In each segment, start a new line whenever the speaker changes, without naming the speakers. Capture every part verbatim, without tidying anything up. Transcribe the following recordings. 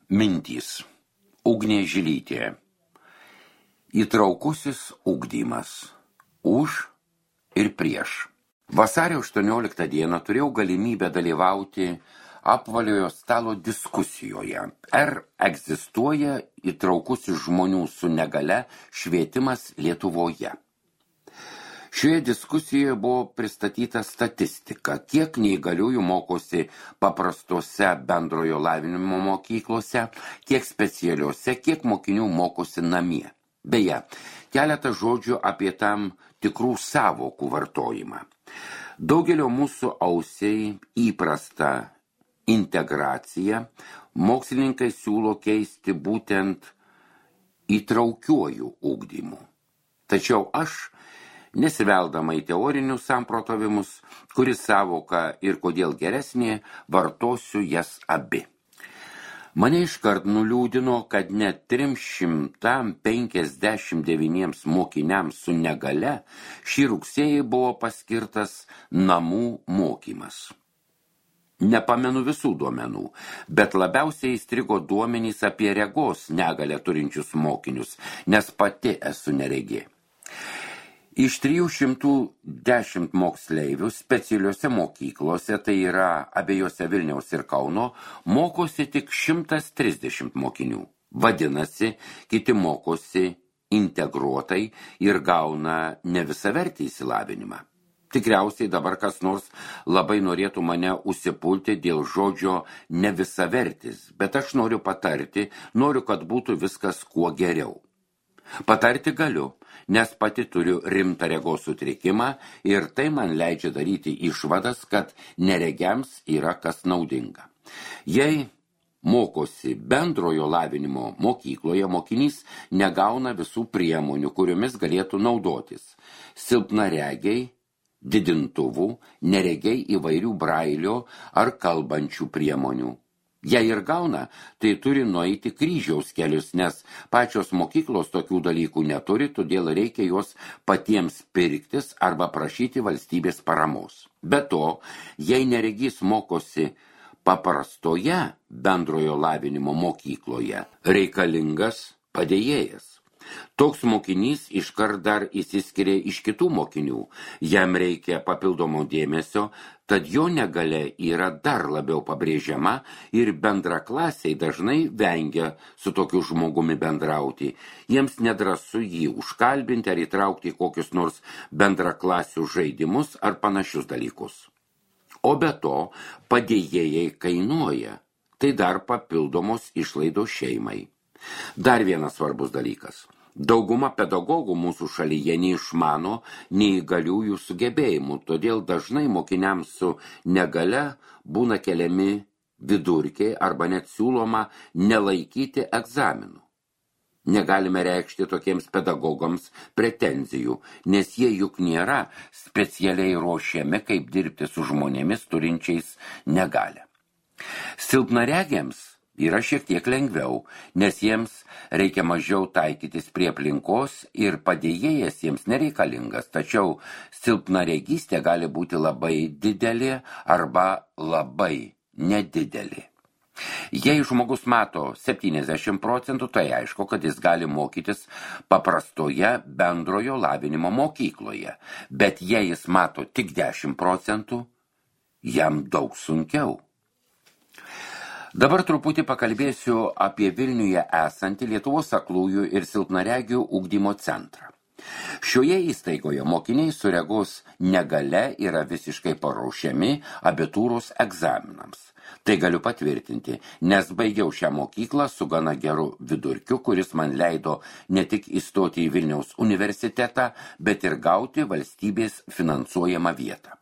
Mintys. Ugnė Žilytė. Įtraukusis ugdymas. Už ir prieš. Vasario aštuonioliktą dieną turėjau galimybę dalyvauti apvaliojo stalo diskusijoje. Ar egzistuoja įtraukusis žmonių su negalia švietimas Lietuvoje? Šioje diskusijoje buvo pristatyta statistika, kiek neįgaliųjų mokosi paprastose bendrojo lavinimo mokyklose, kiek specialiuose, kiek mokinių mokosi namie. Beje, keletą žodžių apie tam tikrų sąvokų vartojimą. Daugelio mūsų ausiai įprasta integracija mokslininkai siūlo keisti būtent įtraukiuoju ugdymu. Tačiau aš, nesiveldama į teorinius samprotavimus, kuris sąvoka ir kodėl geresnė, vartosiu jas abi. Mane iškart nuliūdino, kad net trims šimtams penkiasdešimt devyniems mokiniams su negalia šį rugsėjį buvo paskirtas namų mokymas. Nepamenu visų duomenų, bet labiausiai įstrigo duomenys apie regos negalią turinčius mokinius, nes pati esu neregė. Iš trijų šimtų dešimt moksleivių specialiuose mokyklose, tai yra abiejose Vilniaus ir Kauno, mokosi tik šimtas trisdešimt mokinių. Vadinasi, kiti mokosi integruotai ir gauna ne visavertį išsilavinimą. Tikriausiai dabar kas nors labai norėtų mane užsipulti dėl žodžio nevisavertis, bet aš noriu patarti, noriu, kad būtų viskas kuo geriau. Patarti galiu, nes pati turiu rimtą regos sutrikimą ir tai man leidžia daryti išvadas, kad neregiams yra kas naudinga. Jei mokosi bendrojo lavinimo mokykloje, mokinys negauna visų priemonių, kuriomis galėtų naudotis. Silpnaregiai, didintuvų, neregiai įvairių brailio ar kalbančių priemonių. Jei ir gauna, tai turi nueiti kryžiaus kelius, nes pačios mokyklos tokių dalykų neturi, todėl reikia juos patiems pirktis arba prašyti valstybės paramos. Be to, jei neregys mokosi paprastoje bendrojo lavinimo mokykloje, reikalingas padėjėjas. Toks mokinys iškart dar įsiskiria iš kitų mokinių, jam reikia papildomo dėmesio, tad jo negalia yra dar labiau pabrėžiama ir bendraklasiai dažnai vengia su tokiu žmogumi bendrauti. Jiems nedrąsu jį užkalbinti ar įtraukti kokius nors bendraklasių žaidimus ar panašius dalykus. O be to, padėjėjai kainuoja, tai dar papildomos išlaidos šeimai. Dar vienas svarbus dalykas. Dauguma pedagogų mūsų šalyje neišmano neįgaliųjų sugebėjimų, todėl dažnai mokiniams su negalia būna keliami vidurkiai arba net siūloma nelaikyti egzaminų. Negalime reikšti tokiems pedagogams pretenzijų, nes jie juk nėra specialiai ruošiami, kaip dirbti su žmonėmis turinčiais negalią. Silpnaregiams yra šiek tiek lengviau, nes jiems reikia mažiau taikytis prie aplinkos ir padėjėjas jiems nereikalingas, tačiau silpnaregystė gali būti labai didelė arba labai nedidelė. Jei žmogus mato septyniasdešimt procentų, tai aišku, kad jis gali mokytis paprastoje bendrojo lavinimo mokykloje, bet jei jis mato tik dešimt procentų, jam daug sunkiau. Dabar truputį pakalbėsiu apie Vilniuje esantį Lietuvos aklųjų ir silpnaregių ugdymo centrą. Šioje įstaigoje mokiniai su regos negalia yra visiškai paruošiami abitūros egzaminams. Tai galiu patvirtinti, nes baigiau šią mokyklą su gana geru vidurkiu, kuris man leido ne tik įstoti į Vilniaus universitetą, bet ir gauti valstybės finansuojamą vietą.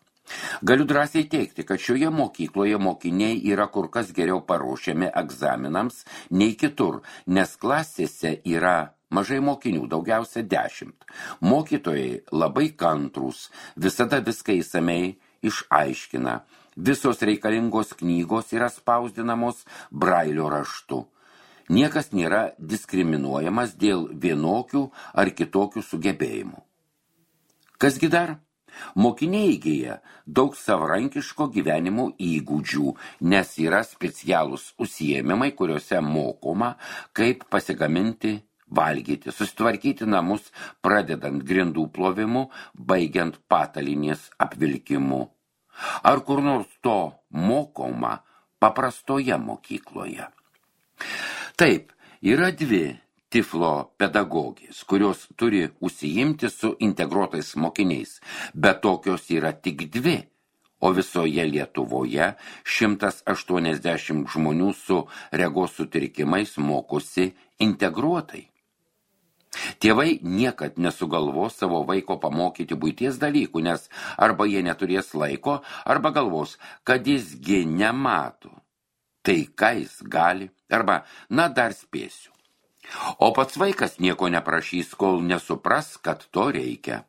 Galiu drąsiai teigti, kad šioje mokykloje mokiniai yra kur kas geriau paruošiami egzaminams nei kitur, nes klasėse yra mažai mokinių, daugiausia dešimt. Mokytojai labai kantrūs, visada viską įsamei išaiškina. Visos reikalingos knygos yra spausdinamos brailio raštu. Niekas nėra diskriminuojamas dėl vienokių ar kitokių sugebėjimų. Kasgi dar? Mokiniai įgyja daug savarankiško gyvenimo įgūdžių, nes yra specialūs užsiėmimai, kuriuose mokoma, kaip pasigaminti, valgyti, susitvarkyti namus, pradedant grindų plovimu, baigiant patalinės apvilkimu. Ar kur nors to mokoma paprastoje mokykloje? Taip, yra dvi Tiflo pedagogės, kurios turi užsiimti su integruotais mokiniais, bet tokios yra tik dvi, o visoje Lietuvoje šimtas aštuoniasdešimt žmonių su regos sutrikimais mokosi integruotai. Tėvai niekad nesugalvos savo vaiko pamokyti buities dalykų, nes arba jie neturės laiko, arba galvos, kad jisgi nemato. Tai ką jis gali, arba na dar spėsiu. O pats vaikas nieko neprašys, kol nesupras, kad to reikia.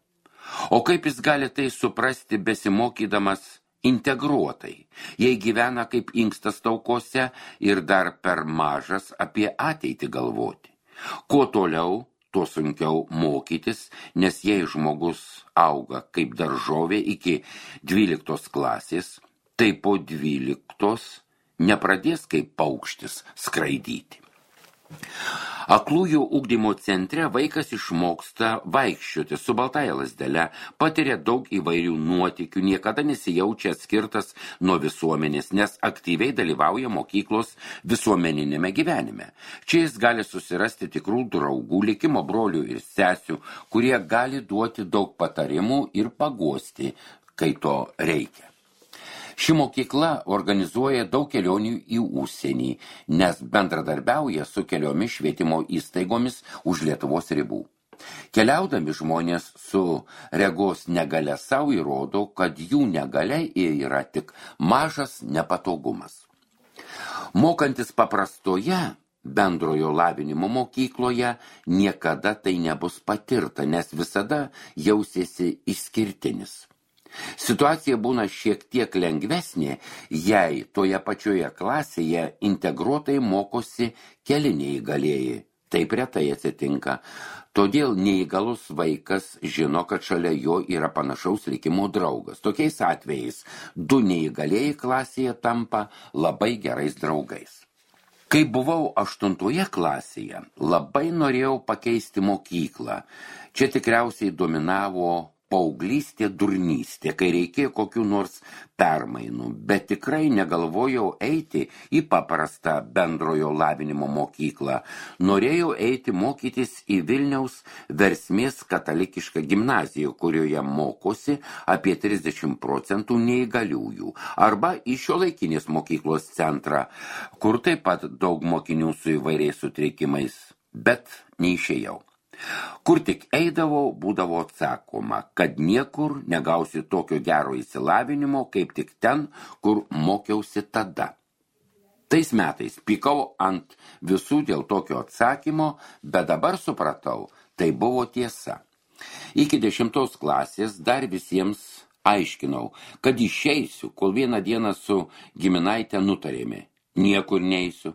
O kaip jis gali tai suprasti besimokydamas integruotai, jei gyvena kaip inkstas taukose ir dar per mažas apie ateitį galvoti? Kuo toliau, tuo sunkiau mokytis, nes jei žmogus auga kaip daržovė iki dvyliktos klasės, tai po dvyliktos nepradės kaip paukštis skraidyti. Aklųjų ugdymo centre vaikas išmoksta vaikščioti su baltąja lazdele, patiria daug įvairių nuotykių, niekada nesijaučia atskirtas nuo visuomenės, nes aktyviai dalyvauja mokyklos visuomeninėme gyvenime. Čia jis gali susirasti tikrų draugų, likimo brolių ir sesių, kurie gali duoti daug patarimų ir paguosti, kai to reikia. Ši mokykla organizuoja daug kelionių į užsienį, nes bendradarbiauja su keliomis švietimo įstaigomis už Lietuvos ribų. Keliaudami žmonės su regos negalia savo įrodo, kad jų negalia yra tik mažas nepatogumas. Mokantis paprastoje bendrojo lavinimo mokykloje niekada tai nebus patirta, nes visada jausiesi išskirtinis. Situacija būna šiek tiek lengvesnė, jei toje pačioje klasėje integruotai mokosi keli neįgalieji. Taip retai atsitinka. Todėl neįgalus vaikas žino, kad šalia jo yra panašaus likimo draugas. Tokiais atvejais du neįgalieji klasėje tampa labai gerais draugais. Kai buvau aštuntoje klasėje, labai norėjau pakeisti mokyklą. Čia tikriausiai dominavo paauglystė durnystė, kai reikėjo kokių nors permainų, bet tikrai negalvojau eiti į paprastą bendrojo lavinimo mokyklą. Norėjau eiti mokytis į Vilniaus Versmės katalikišką gimnaziją, kurioje mokosi apie trisdešimt procentų neįgaliųjų, arba į šiuolaikinės mokyklos centrą, kur taip pat daug mokinių su įvairiais sutrikimais, bet neišėjau. Kur tik eidavau, būdavo atsakoma, kad niekur negausi tokio gero išsilavinimo, kaip tik ten, kur mokiausi tada. Tais metais pykau ant visų dėl tokio atsakymo, bet dabar supratau, tai buvo tiesa. Iki dešimtos klasės dar visiems aiškinau, kad išeisiu, kol vieną dieną su giminaite nutarėme. Niekur neisiu,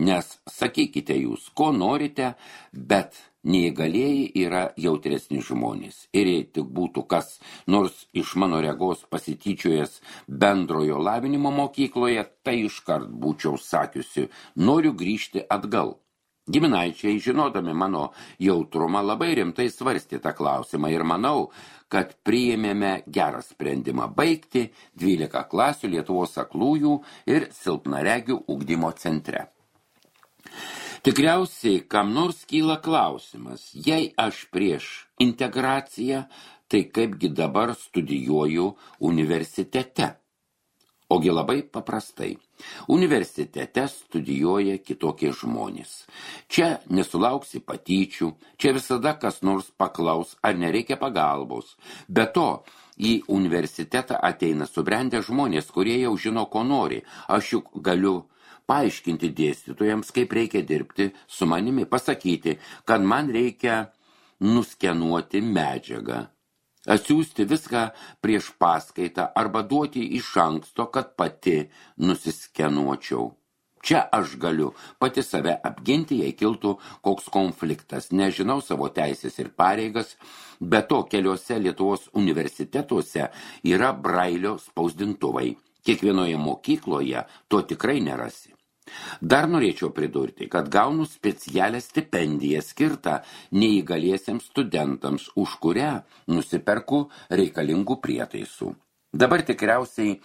nes sakykite jūs, ko norite, bet neįgalieji yra jautresni žmonės. Ir jei tik būtų kas nors iš mano regos pasityčiojęs bendrojo lavinimo mokykloje, tai iškart būčiau sakiusi, noriu grįžti atgal. Giminaičiai, žinodami mano jautrumą, labai rimtai svarstė tą klausimą ir manau, kad priėmėme gerą sprendimą baigti dvylika klasių Lietuvos aklųjų ir silpnaregių ugdymo centre. Tikriausiai, kam nors kyla klausimas, jei aš prieš integraciją, tai kaipgi dabar studijuoju universitete. Ogi labai paprastai. Universitete studijuoja kitokie žmonės. Čia nesulauksi patyčių, čia visada kas nors paklaus, ar nereikia pagalbos. Be to, į universitetą ateina subrendę žmonės, kurie jau žino, ko nori. Aš juk galiu paaiškinti dėstytojams, kaip reikia dirbti su manimi, pasakyti, kad man reikia nuskenuoti medžiagą, atsiųsti viską prieš paskaitą arba duoti iš anksto, kad pati nusiskenuočiau. Čia aš galiu pati save apginti, jei kiltų koks konfliktas. Nežinau savo teisės ir pareigas, be to keliuose Lietuvos universitetuose yra brailio spausdintuvai. Kiekvienoje mokykloje to tikrai nerasi. Dar norėčiau pridurti, kad gaunu specialią stipendiją skirtą neįgaliesiems studentams, už kurią nusiperku reikalingų prietaisų. Dabar tikriausiai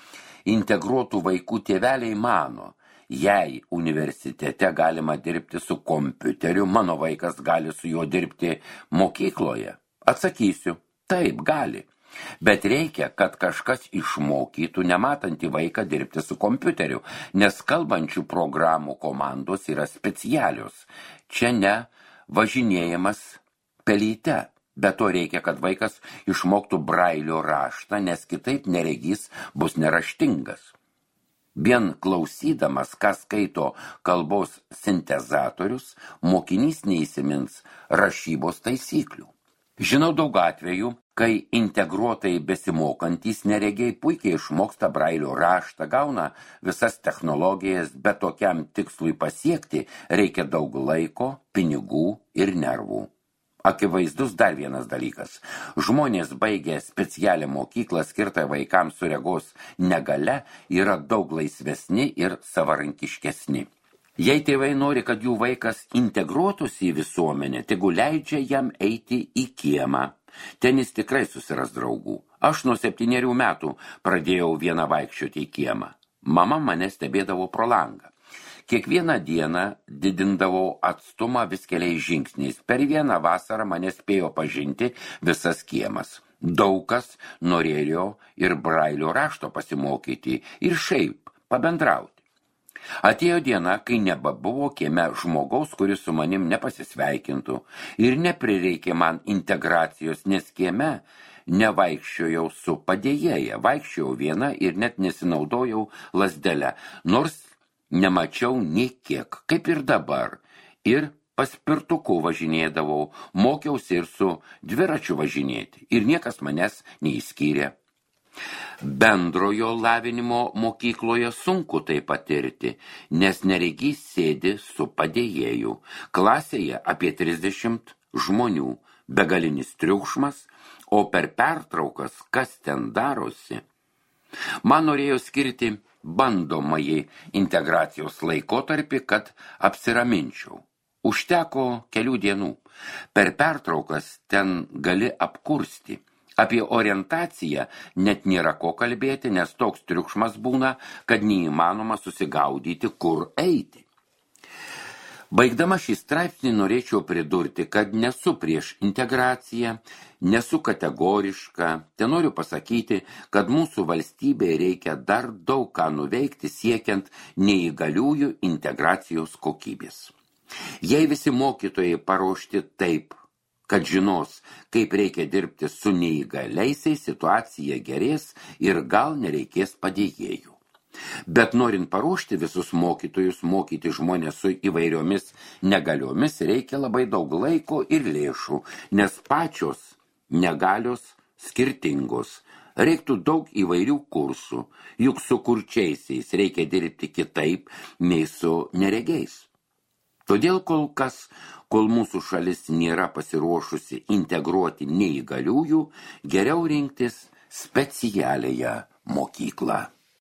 integruotų vaikų tėveliai mano, jei universitete galima dirbti su kompiuteriu, mano vaikas gali su juo dirbti mokykloje. Atsakysiu, taip gali. Bet reikia, kad kažkas išmokytų nematantį vaiką dirbti su kompiuteriu, nes kalbančių programų komandos yra specialios. Čia ne važinėjimas pelyte. Be to reikia, kad vaikas išmoktų brailio raštą, nes kitaip neregys bus neraštingas. Vien klausydamas, ką skaito kalbos sintezatorius, mokinys neįsimins rašybos taisyklių. Žinau daug atvejų, kai integruotai besimokantys neregiai puikiai išmoksta brailio raštą, gauna visas technologijas, bet tokiam tikslui pasiekti reikia daug laiko, pinigų ir nervų. Akivaizdus dar vienas dalykas. Žmonės baigę specialią mokyklą skirtą vaikams su regos negalia yra daug laisvesni ir savarankiškesni. Jei tėvai nori, kad jų vaikas integruotųsi į visuomenę, tegu leidžia jam eiti į kiemą. Ten jis tikrai susiras draugų. Aš nuo septynerių metų pradėjau vieną vaikščioti į kiemą. Mama mane stebėdavo pro langą. Kiekvieną dieną didindavau atstumą vis keliais žingsniais. Per vieną vasarą mane spėjo pažinti visas kiemas. Daug kas norėjo ir brailio rašto pasimokyti ir šiaip pabendrauti. Atėjo diena, kai nebebuvo kieme žmogaus, kuris su manim nepasisveikintų, ir neprireikė man integracijos, nes kieme nevaikščiojau su padėjėja, vaikščiojau viena ir net nesinaudojau lazdelę, nors nemačiau nei kiek, kaip ir dabar, ir paspirtuku važinėdavau, mokiausi ir su dviračiu važinėti, ir niekas manęs neįskyrė. Bendrojo lavinimo mokykloje sunku tai patirti, nes neregys sėdi su padėjėju. Klasėje apie trisdešimt žmonių, begalinis triukšmas, o per pertraukas kas ten darosi. Man norėjo skirti bandomąjį integracijos laikotarpį, kad apsiraminčiau. Užteko kelių dienų. Per pertraukas ten gali apkursti. Apie orientaciją net nėra ko kalbėti, nes toks triukšmas būna, kad neįmanoma susigaudyti, kur eiti. Baigdama šį straipsnį norėčiau pridurti, kad nesu prieš integraciją, nesu kategoriška. Te noriu pasakyti, kad mūsų valstybėje reikia dar daug ką nuveikti siekiant neįgaliųjų integracijos kokybės. Jei visi mokytojai paruošti taip, kad žinos, kaip reikia dirbti su neįgaliaisiais, situacija gerės ir gal nereikės padėjėjų. Bet norint paruošti visus mokytojus, mokyti žmonės su įvairiomis negaliomis, reikia labai daug laiko ir lėšų, nes pačios negalios skirtingos. Reiktų daug įvairių kursų, juk su kurčiaisiais reikia dirbti kitaip nei su neregiais. Todėl kol kas, kol mūsų šalis nėra pasiruošusi integruoti neįgaliųjų, geriau rinktis specialiąją mokyklą.